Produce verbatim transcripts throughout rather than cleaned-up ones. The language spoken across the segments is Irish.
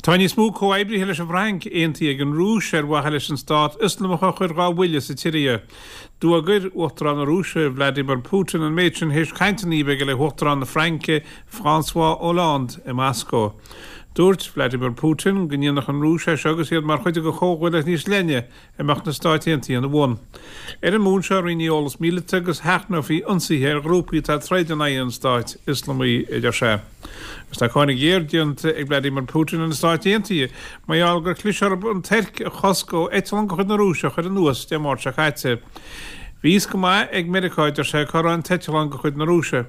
Tá níos mó comhoibrithe leis an bhFrainc aontaithe ag an Rúis ar mhaithe leis an stát Ioslamach a chur dhá bhuille sa tSiria. D'fhógair Uachtarán na Rúise Vladimir Putin an méid sin théis cainteanna a bheith aige le hUachtarán na Fraince François Hollande i Moscó. Dúirt Vladimir Putin go ndéanfadh an Rúis é seo agus iad mar chuid de chomhghuaillíocht níos leithne a mbeadh na Stáit Aontaithe ina bhun. Ar an mbonn seo roinnfí eolas míleata agus sheachnófaí ionsaithe ar ghrúpaí atá ag troid in aghaidh an stáit Ioslamaigh, a deir sé. Agus tá cáineadh géar déanta ag Vladimir Putin ar na Stáit Aontaithe mar gheall gur chlis orthu an Tuirc a chosc ó eitleán de chuid na Rúise a chur anuas Dé Máirt seo caite. Bhí fhios go maith ag Meiriceá, a deir sé, cá raibh an t-eitleán de chuid na Rúise.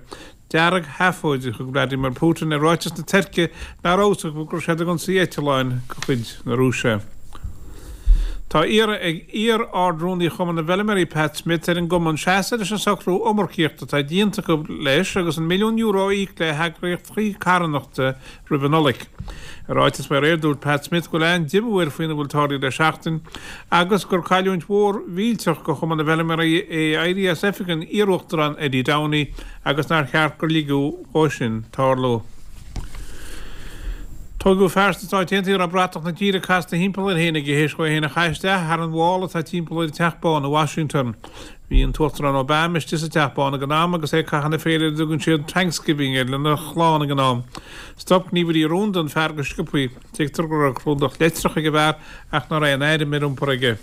Deargsheafóid a thug Vladimir Putin ar ráiteas na Tuirce nach raibh fhios acu go raibh siad ag ionsaí eitleáin de chuid na Rúise. Tá iarrtha ag iar-Ard-Rúnaí Chumann na bhFeilméaraí Pat Smith ar an gcumann seasamh leis an socrú iomarcaíochta atá déanta acu leis agus an milliún euro a íoc le heagraíochtaí carthanachta roimh an Nollaig. I ráiteas faoi aréir dúirt Pat Smith go bhfuil an-diomú air faoina bhfuil tarlaithe le seachtain agus gur cailliúint mhór mhillteach do Chumann na bhFeilméaraí é éirí as oifig an iar-uachtarán Eddie Downey agus nár cheart gur ligeadh dhó sin tarlú. Tógadh fear sna Stáit Aontaithe a raibh bratach na tíre casta thimpeall air féin aige théis dhó é féin a chaitheamh isteach thar an bhfál atá timpeall ar an Teach Bán i Washington. Bhí an tUachtarán Obama istigh sa Teach Bán ag an am agus é ag caitheamh na féile ar a dtugann siad Thanksgiving air lena chlann ag an am. Stop gníomhairí rúnda an fear go sciobthaí. Tuigtear go raibh clúdach leictreach ag an bhfear ach nach raibh aon airm ar iompar aige.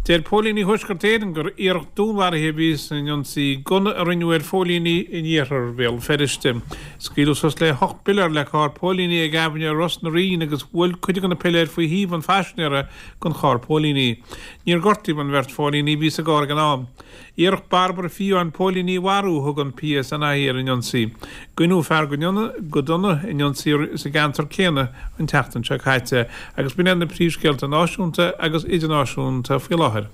Deir póilíní Thuaisceart Éireann gur iarracht dúnmharaithe a bhí san ionsaí gunna a rinneadh ar phóilíní in iarthar Bhéal Feirste. Scaoileadh suas le hocht bpiléar le carr póilíní ag aibhinne Ros na Rín agus bhuail cuid de na piléir faoi thaobh an phaisinéara den charr póilíní. Níor gortaíodh an bheirt phóilíní a bhí sa gcarr ag an am. Iarracht barbartha fiáin póilíní a mharú a thug an PSNI ar an ionsaí. Goineadh fear go dona in ionsaí sa gceantar céanna an tseachtain seo caite agus b'in iad na príomhscéalta náisiúnta agus idirnáisiúnta faoi láthair.